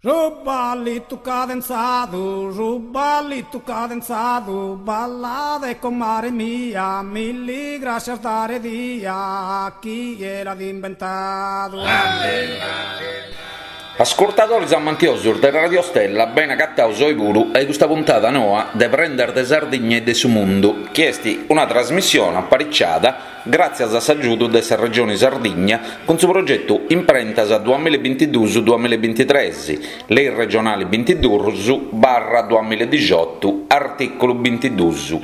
Su ballitu cadenzadu, su ballitu cadenzadu, ballade comare mia, milli grascias dare dia, chie l'at imbentadu. Ascurtadoris amantiosus de Radio Stella, beni agataus oi puru a custa puntada noa de Prendas de Sardigna e de su Mundu, chi est una trasmissione apariciada gràtzias a s'agiudu de sa Regioni Sardigna cun su progetu Imprentas duamillabintiduus duamillabintitres, Lei regionali bintiduus barra duamilladixotu, artìculu bintiduus.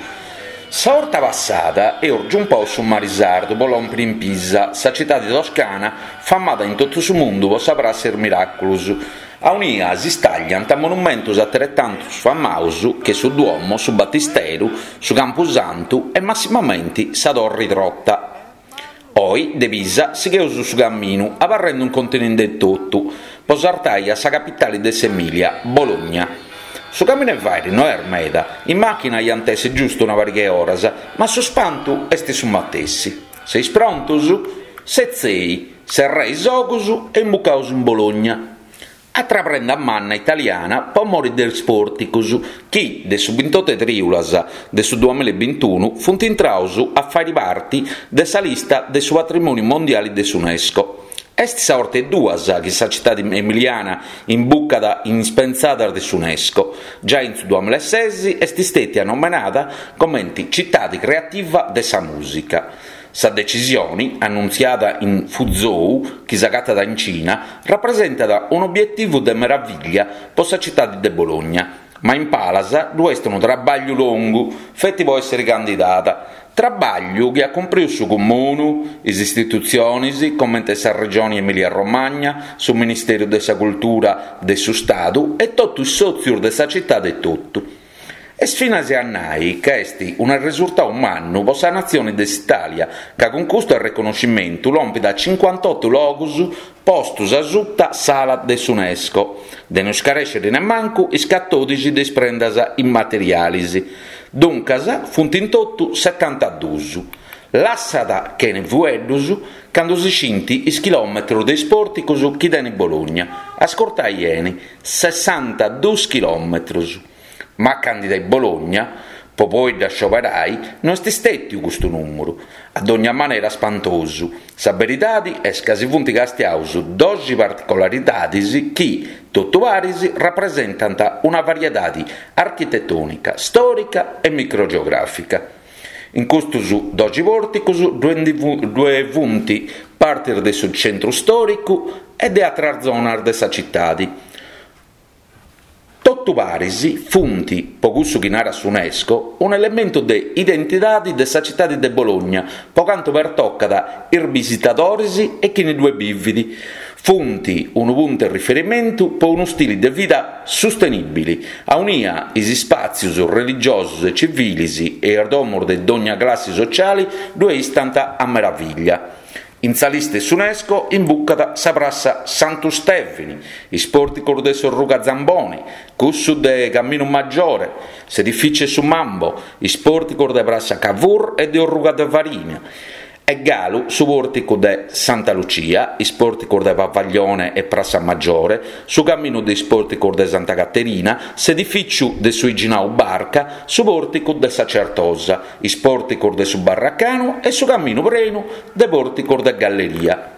Sa 'orta passada eus giumpau su mari sardu po lòmpiri in Pisa, sa citadi toscana famada in totu su mundu po sa Prassa 'e is Miràculus, Aunia si stagliant monumentus ateretantus famaus che su Duomo, su Batisteru, su Campusantu e massimamenti sa Torri Trotta. Oi de Pisa sigheus su caminu abarrendu in continenti etotu po sartai a sa capitali de s'Emilia, Bologna. Su caminu 'e fairi no est meda, in machina iant essi giustu una pariga 'e oras, ma su spantu est su matessi. Seis prontus? Setzei, serrei is ogus e imbucaus in Bologna. Atra prenda manna italiana po mori de is pòrticus chi, de su bintotu 'e trìulas de su duamillabintunu, funt intraus a fàiri parti de sa lista de su patrimòniu mondiali de s'Unesco. Est sa 'orta 'e duas chi sa citadi emiliana imbucat in is pentzadas de s'Unesco. Giai in su duamillases est stètia nomenada comenti citadi creativa de sa mùsica. Sa decisioni, annuntziada in Fuzhou, chi s'agatat in Cina, rapresentat un'obietivu de meravìllia po sa citadi de Bologna. Ma in palas ddu est unu trabàgliu longu feti po èssiri candidada, trabàgliu chi at cumpriu su Comunu, is istitutzionis comente sa Regioni Emilia Romagna, su Ministeru de sa Cultura de su Stadu e totu is sòtzius de sa citadi etotu. Est finas a nai ca est un'arresurtau mannu po sa natzioni de s'Itàlia, ca cun custu arreconnoscimentu lompit a cincuantotu logus postus asuta s'ala de s'Unesco, de no scarèsciri nemmancu is catòdixi de is prendas immaterialis. Duncas funt in totu setantaduus. Lassat chene fueddus candu si scint is chilòmetrus de is pòrticus chi tenit Bologna, ascurtai 'eni, sessantaduus chilòmetrus. Ma a candidai Bologna, po poi dda scioberai, no est stètiu custu nùmuru, a dogna manera spantosu. Sa beridadi est ca si funt castiaus doxi particolaridadis chi, totu paris, rapresentant una variedadi architetònica, stòrica e microgeogràfica. In custus doxi pòrticus ddue funt partis de su centru stòricu e de atras zonas de sa citadi. Totu paris funt, po cussu chi narat s'Unesco, un'elementu de identidadi de sa citadi de Bologna po cantu pertocat is bisitadoris e chini ddue bivit. Funt unu puntu 'e riferimentu po unu stili de vida sustenìbili, aunia is ispàtzius religiosus e civilis e is domus de dogna classi sociali ddue istant a meravìllia. In sa lista 'e s'Unesco imbucat sa prassa Santu Stèvini, is pòrticos de s'Orruga Zamboni, cussu de Caminu Maggiore, s'edifìciu 'e su Mambo, is pòrticos de prassa Cavour e de Orruga de Farina, e galu su pòrticu de Santa Lucia, is pòrticos de Pavaglione e Prassa Maggiore, su caminu de is pòrticos de Santa Caterina, s'edifìciu de su 'Iginau Barca, su pòrticu de sa Certosa, is pòrticos de su Barracanu e su caminu prenu de pòrticos de galleria.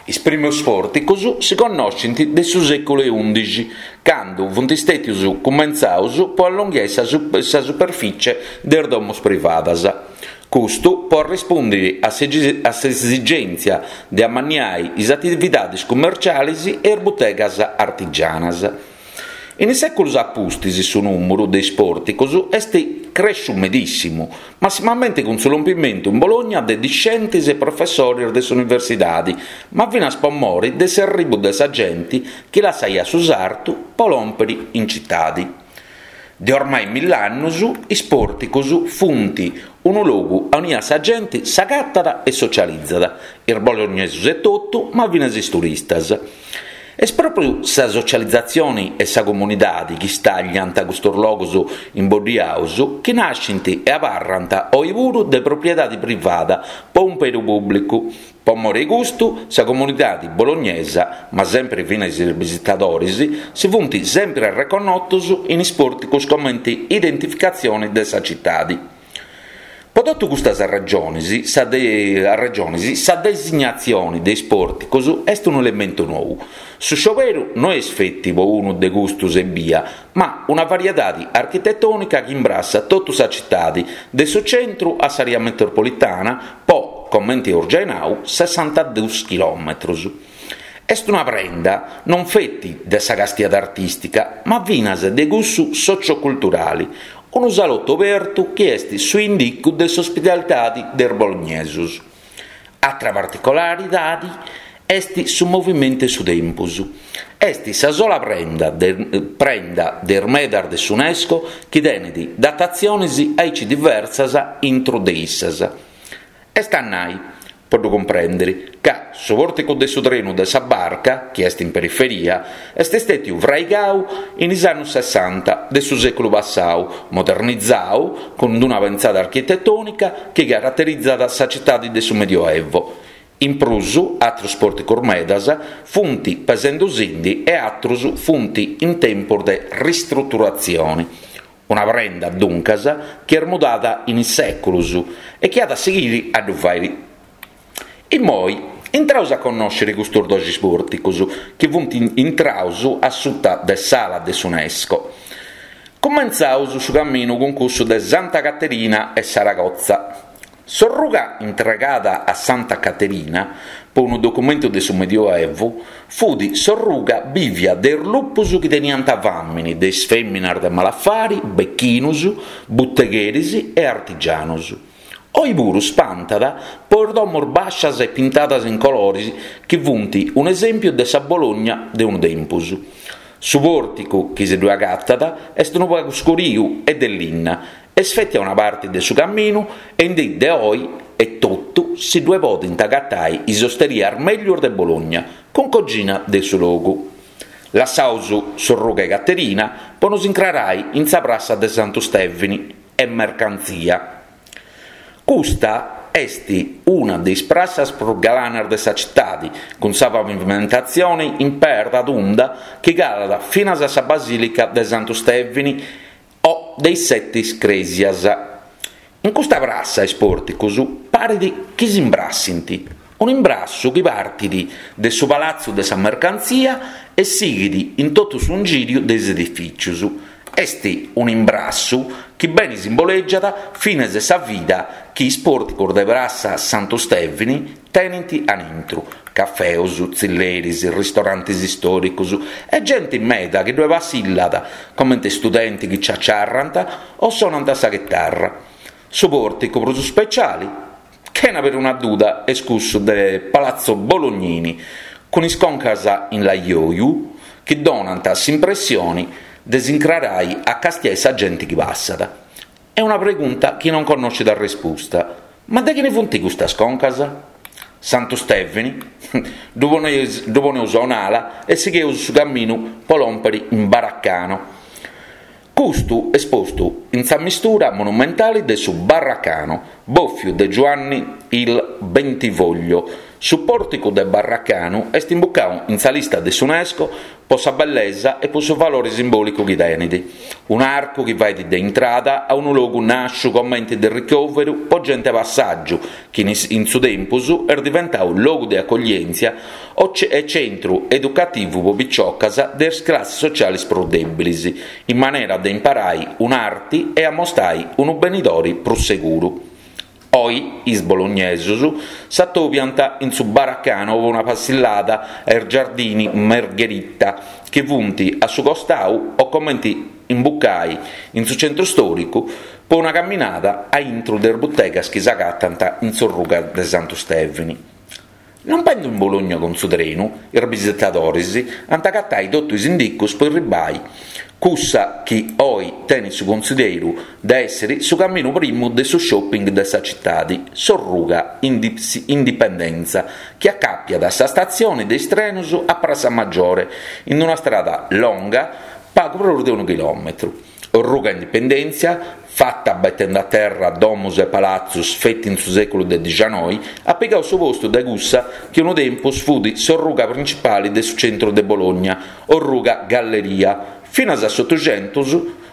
Is primus pòrticos si connoscint de su sèculu 'e ùndixi, candu funt stètius cumentzaus po allonghiai sa sa superficie de is domus privadas. Custu po arrespundiri a s'esigèntzia de amanniai is atividadis cummercialis e is butegas artigianas. In is sèculos a pustis su nùmuru de is pòrticos est crèsciu medìssimu, massimamente cun su lompimentu in Bologna de discentes e professores de s'universidade, ma finas po mori de s'erribu de sa genti chi lassaiat su sartu po lòmpiri in citadi. De ormai mill'annus is pòrticos funt unu logu aunia sa genti s'agatat e socializat, is bolognesos etotu ma finas is turistas. Est pròpriu sa socializatzioni e sa comunidadi chi stagliant custus logus imboddiaus chi nascint e abarrant oi puru de propriedadi privada po umperu pùblicu. Po more 'e custu, sa comunidadi bolognesa, ma sempri finas is bisitadoris, si funt sempri arreconnotus in is pòrticus comenti identificatzioni de sa citadi. Po totu custas arregionis, sa arregionis, sa designatzioni de is pòrticus est unu elementu nou. Su scioberu no est feti po unu de custus ebbia, ma una variedadi architetònica chi imbrassat totu sa citadi, de su centru a s'àrea metropolitana, po, comenti eus giai nau, sessantadus chilòmetrus. Est una prenda non feti de sa castiada artìstica, ma finas de cussu socioculturali, unu salotu obertu chi est su indicu de s'ospitalidadi de is bolognesus. Atra particolaridadi est su movimentu 'e su tempus. Est sa sola prenda de prenda de is medas de s'UNESCO chi tenit datatzionis aici diversas intru de issas. Est a nai, po ddu cumprèndiri, ca su pòrticu de su trenu de sa barca, chi est in periferia, est stètiu fraigau in is annus sessanta de su sèculu passau, modernizau cun d-una pentzada architetònica chi caraterizat sa citadi de su Medioevo. In prus, atrus pòrticus medas funt pesendusindi e atrus funt in tempus de ristruturatzioni. Una prenda, duncas, chi est mudada in is sèculus e chi at a sighiri a ddu fàiri. Immoi, intraus a connòsciri custus doxi pòrticus chi funt intraus a suta de s'ala de s'UNESCO. Cumentzaus su caminu cun cussu de Santa Caterina e Saragozza. S'orruga intregada a Santa Caterina, po unu documentu de su Medioevu, fut s'orruga bìvia de is lupus chi teniant fàmini, de is fèminas de malafari, bechinus, butegheris e artigianus. Oi puru spantat po is domos bàscias e pintadas in coloris chi funt un'esèmpiu de sa Bologna de unu tempus. Su pòrticu chi si ddue agatat est unu pagu scuriu e de linna Est feti a una parti de su caminu e in dì de oi etotu si ddue podint agatai is osterias meglius de Bologna, cun cogina de su logu. Lassaus s'orruga 'e Caterina po nos incrarai in sa prassa de Santu Stèvini e Mercantzia. Custa est una de is prassas prus galanas de sa citadi, cun sa pavimentatzioni in perda tunda chi calat finas a sa Basìlica de Santu Stèvini o de is setis crèsias. In custa prassa is pòrticus parit chi s'imbrassint, un'imbrassu chi partit de su Palatzu de sa Mercantzia e sighit in totu su ingìriu de is edifìcius. Est un'imbrassu chi beni simbolègiat finas sa vida chi is pòrticus de prassa Santu Stèvini tenint anintru, cafeus, tzilleris, ristorantis istòricus e genti meda chi ddue passillat comente studenti chi ciaciarrant o sonant sa chitarra. Su pòrticu prus speciali, chena peruna duda, est cussu de Palazzo Bolognini, cun is concas in laioju chi donant s'impressioni de s'incrarai a castiai sa genti chi passat. Est una pregunta chi non connoscit arrespusta, Ma de chini funt custas concas? Santu Stèvini, ddu poneus a un'ala e sigheus su caminu po lòmpiri in Baraccano. Custu est postu in sa mistura monumentali de su Barracano, bòfiu de Giuanni il Bentivoglio. Su pòrticu de Barracanu est imbucau in sa lista de s'UNESCO po sa bellesa e po su valori simbòlicu chi tenit. Un'arcu chi fait de intrada a unu logu nàsciu comenti de ricòveru po genti 'e passàgiu chi in su tempus est diventau logu de acoglièntzia e centru educativu po piciocas de is classis socialis prus dèbilis, in manera de imparai un'arti e amostai unu benidori prus seguru. Oi is bolognesus s'atobiant in su Baracano po una passillada a is Giardini Margherita chi funt a su costau o comenti imbucai in su centru storicu po una caminada a intru de is butegas chi s'agatant in s'orruga de Santu Stèvini. Lompendu in Bologna cun su trenu, is bisitadoris ant agatai totu is indicus po erribai cussa chi oi tenit su consideru de èssiri su caminu primu de su shopping de sa citadi, s'orruga Indipendenza, chi acapiat sa statzioni de is trenus a Prassa Maggiore, in una strada longa pagu prus de unu chilòmetru. Orruga Indipendèntzia, fata betendi a terra domus e palatzus feti in su sèculu de dixianoi, at pigau su postu de cussa chi unu tempus fut s'orruga principali de su centru de Bologna, Orruga Galleria, finas a s'Otuxentus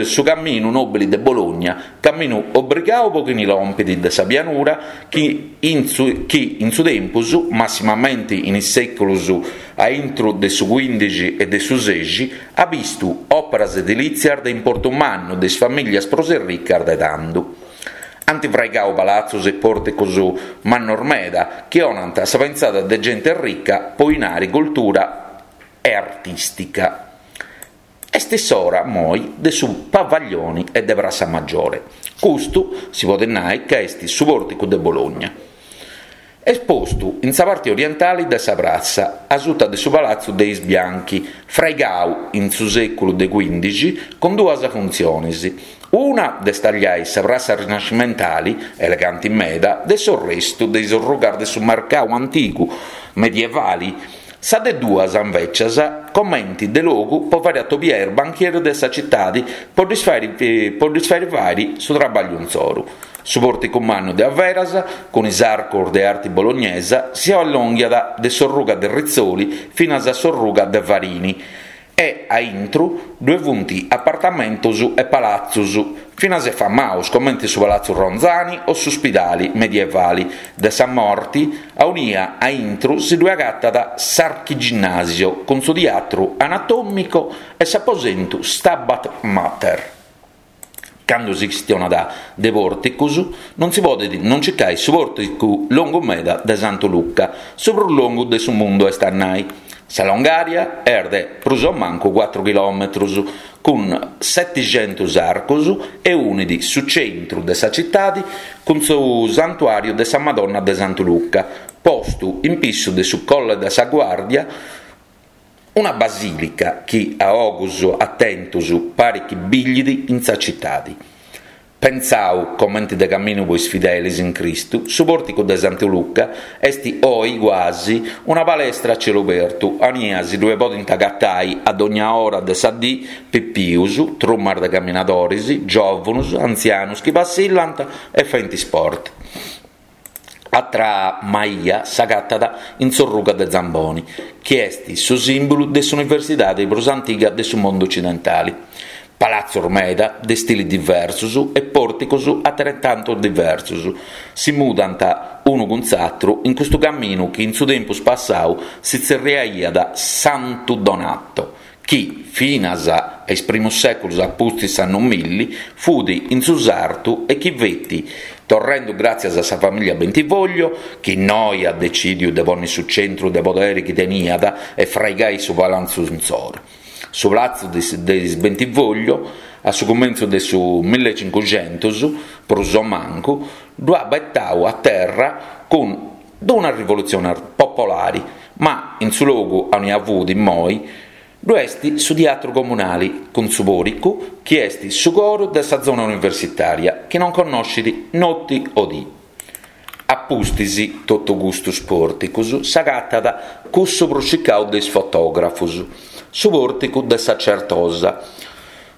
Su caminu nòbili de Bologna, caminu obrigau po chini lompit de sa pianura chi in su chi in su tempus, massimamenti in is sèculus a intru de su cuindixi e de su sexi, at bistu òperas edilìtzias de importu mannu de is famìllias prus erricas de tandu. Ant fraigau palatzus e pòrticus mannos meda chi 'onant sa pentzada de genti errica po 'inari, cultura e artìstica. Est s'ora, moi, de su Pavaglioni e de Prassa Maggiore. Custu si podet nai ca est su pòrticu de Bologna. Est postu in sa parti orientali de sa prassa, asuta de su Palatzu de is Bianchi, fraigau in su sèculu de cuindixi cun duas funtzionis, una de stagliai sa prassa rinascimentali, eleganti meda, de s'orrestu de is orrugas de su mercau antigu medievali, Sa de duas, invècias, comenti de logu po fàiri atobiai is banchieris de sa citadi po ddis fàiri po ddis fàiri fàiri su trabagliu insoru. Su pòrticu mannu de averas, cun is arcos de arti bolognesa, si allonghiat de s'orruga de Rizzoli finas a s'orruga de Varini e a intru ddue funt apartamentos e palatzus finas e famaus comente su Palatzu Ronzani o su Spidali medievali de sa Morti aunia a intru si ddue agatat s'Archiginnasio cun su Tiatru Anatomico e s'aposentu Stabat Mater. Candu si chistionat de pòrticus non si podet non circai su pòrticu longu meda de Santu Luca, su prus longu de su mundu est a nai. Sa longària est de prus o mancu cuatru chilòmetrus, cun setixentus arcus e unit su centru de sa citadi cun su santuàriu de sa Madonna de Santu Luca, postu in pissu de su Colle de sa Guàrdia, Una basìlica chi a ogus atentus parit chi biglit in sa citadi. Pentzau comenti de caminu po is fidelis in Cristu, su pòrticu de Santu Luca est oi guasi una palestra a celu obertu, aunia si ddue podint agatai a dogna ora de sa dì pipius, trumas de caminadoris, giòvunus, antzianus chi passillant e faint sport. Atra maia s'agatat in s'orruga de Zamboni, chi est su sìmbulu de s'universidade prus antiga de su mundu ocidentale. Palatzos meda, de stilis diversos e pòrticos ateretantu diversos, si mudant unu cun s'atru in custu caminu chi in su tempus passadu si tzerriaiat Santu Donato, chi, finas a is primus sèculos a pustis s'annu milli, fut in su sartu e chi feti, torrendu gràtzias a sa famìllia Bentivoglio, chi innoi at decìdiu de ponni su centru de poderi chi teniat e fraigai su palatzu insoru. Su palatzu de is Bentivoglio, a su cumentzu de su millecincuxentus, prus o mancu, ddu at betau a terra cun d-una rivolutzione popolari, ma in su logu aunia fut immoi ddu est su tiatru comunali cun su pòricu chi est su coru de sa zona universitària chi non connoscit noti o dì. A pustis totu custus pòrticus s'agatat cussu prus circau de is fotògrafus, su pòrticu de sa Certosa.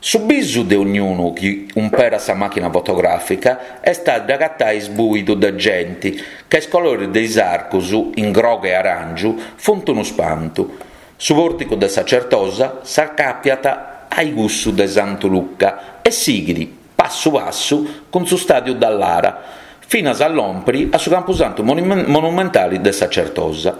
Su bisu de ognunu chi umperat sa màchina fotogràfica est a dd'agatai sbuidu de genti, ca is coloris de is arcus, in grogu e aràngiu, funt unu spantu. Su pòrticu de sa Certosa s'acàpiat a-i cussu de Santu Luca e sighit, passu passu, cun su stàdiu Dall'Ara, finas a lòmpiri a su campusantu monumentali de sa Certosa.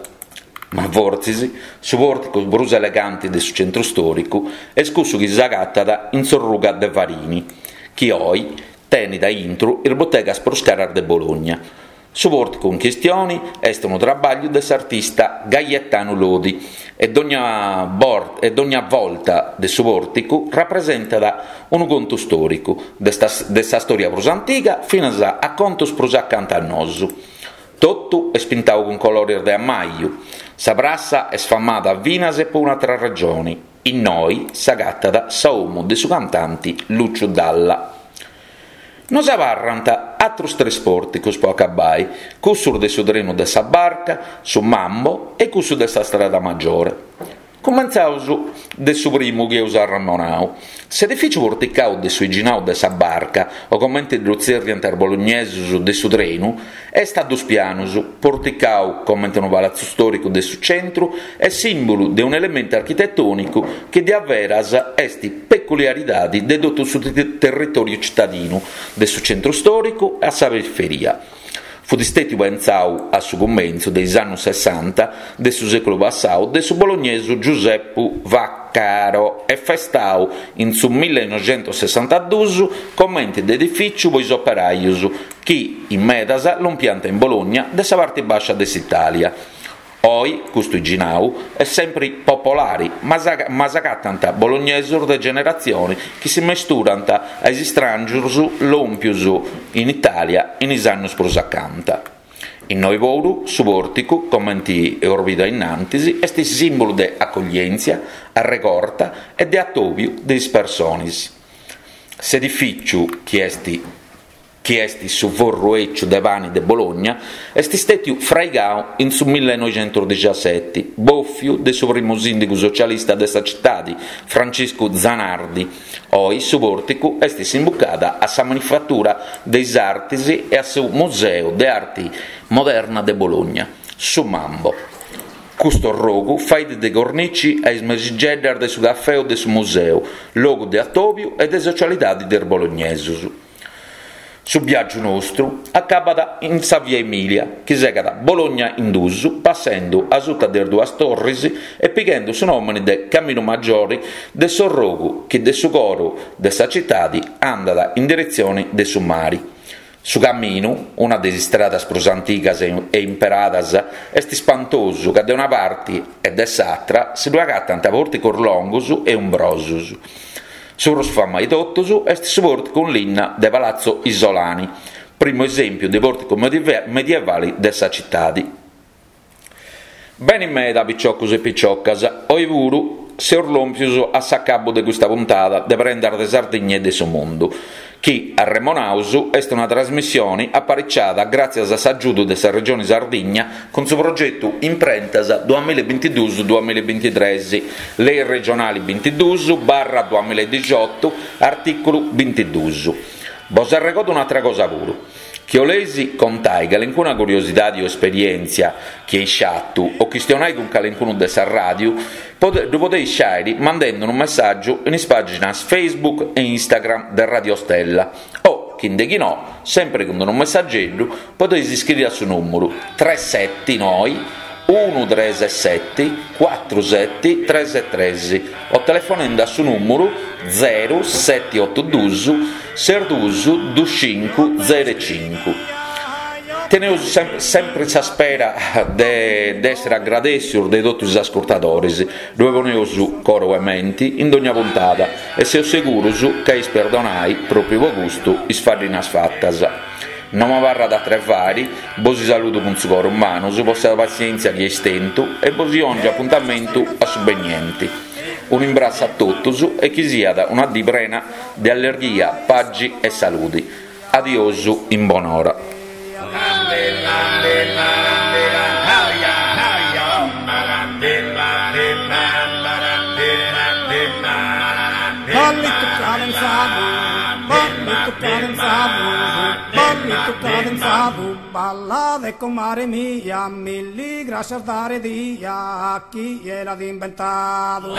Ma fortzis su pòrticu prus eleganti de su centru stòricu est cussu chi s'agatat in s'orruga de Varini, chi oi tenit a intru is butegas prus caras de Bologna. Su pòrticu in chistioni est unu trabagliu de s'artista Gaetanu Lodi e dogna e dogna volta de su pòrticu rapresentat unu contu stòricu, de de sa stòria prus antiga finas a contus prus acanta a nosu. Totu est pintau cun coloris de ammaju. Sa prassa est famada finas e po un'atra ragioni, innoi s'agatat sa 'omu de su cantanti Luciu Dalla. Nos abarrant atrus tres pòrticus po acabai, cussus de su trenu de sa barca, su Mambo e cussu de sa strada Maggiore. Cumentzaus de su primu chi eus arremonau. S'edifìciu porticau de su 'iginau de sa Barca, o comente ddu tzèrriant is bolognesus de su trenu, est a dus pianus, porticau comente unu palatzu stòricu de su centru e sìmbulu de un'elementu architetònicu chi diaveras est peculiaridadi de totu su territòriu citadinu, de su centru stòricu a sa periferia. Fut stètiu pentzau a su cumentzu de is annus sessanta de su sèculu passau de su bolognesu Giuseppu Vaccaro e festau in su millenoixentussessantadus comenti de edifìciu po is operajus chi in medas lompiant in Bologna de sa parti bàscia de s'Itàlia. Oi custu 'iginau est sempri popolari, ma s'agatant bolognesus de generatzioni chi si mesturant a is istràngius lòmpius in Itàlia in is annus prus acanta. Innoi puru su pòrticu, comenti eus bidu a innantis, est sìmbulu de acoglièntzia, arregorta e de atòbiu de is personis. S'edifìciu chi est chi est su forru 'eciu de pani de Bologna, est stètiu fraigau in su millenoixentusdixaseti, bòfiu de su primu sìndigu socialista de sa citadi, Franciscu Zanardi. Oi su pòrticu est s'imbucada a sa Manifatura de is Artis e a su Museu de Arti Moderna de Bologna, su Mambo. Custu orrogu fait de cornici a is mesigeddas de su cafè o de su museu, logu de atòbiu e de socialidadi de is bolognesus. Su biàgiu nostru acabat in sa Via Emilia, chi segat Bologna in dus, passendu asuta de is duas torris e pighendu su nòmini de Caminu Maggiori de s'orrogu chi de su coru de sa citadi andat in diretzioni de su mari. Su caminu, una de is istradas prus antigas e imperadas, est ispantosu ca de una parti e de s'atra si ddu agatant pòrticos longus e umbrosus. Su prus famau 'e totus est su pòrticu in linna de Palazzo Isolani, primu esèmpiu de pòrticu medievali de sa citadi. Beni meda piciocus e piciocas, oi puru seus lòmpius a s'acabu de custa puntada de Prendas de Sardigna e de su Mundu, chi, arremonaus, est una trasmissioni apariciada gràtzias a s'agiudu de sa Regioni Sardigna cun su progetu Imprentas duamillabintiduus duamillabintitres, Lei regionali bintiduus barra duamilladixiotu, artìculu bintiduus. Bos arregodu un'atra cosa puru, chi 'oleis contai calencuna curiosidadi o esperièntzia chi eis fatu o chistionai cun calencunu de sa ràdiu, ddu podeis fàiri mandendi unu messàgiu in is pàginas Facebook e Instagram de Radio Stella o, chi nde chi no, sempri cun unu messageddu, podeis iscriri a su nùmuru tres seti noi unu tres seti cuatru seti tres tres o telefonendi a su nùmuru zeru seti otu dus ses dus dus cincu zeru cincu. Teneus sempri sa spera de essiri agradèssius de totus is ascurtadoris, ddoi poneus coru e menti in dogna puntada e seus segurus ca eis perdonai, pròpriu po custu, is faddinas fatas. No m'abarrat atru 'e fari, bosi saludu cun su coru in manus po sa passièntzia chi eis tentu e bosi 'òngiu apuntamentu a su benienti. Unu imbrassu a totus e chi siat una dì prena de allerghia, pagi e saludi. Adiosu in bonora. Ballade comare mia, milli grascias dare dia a chie l'at imbentadu.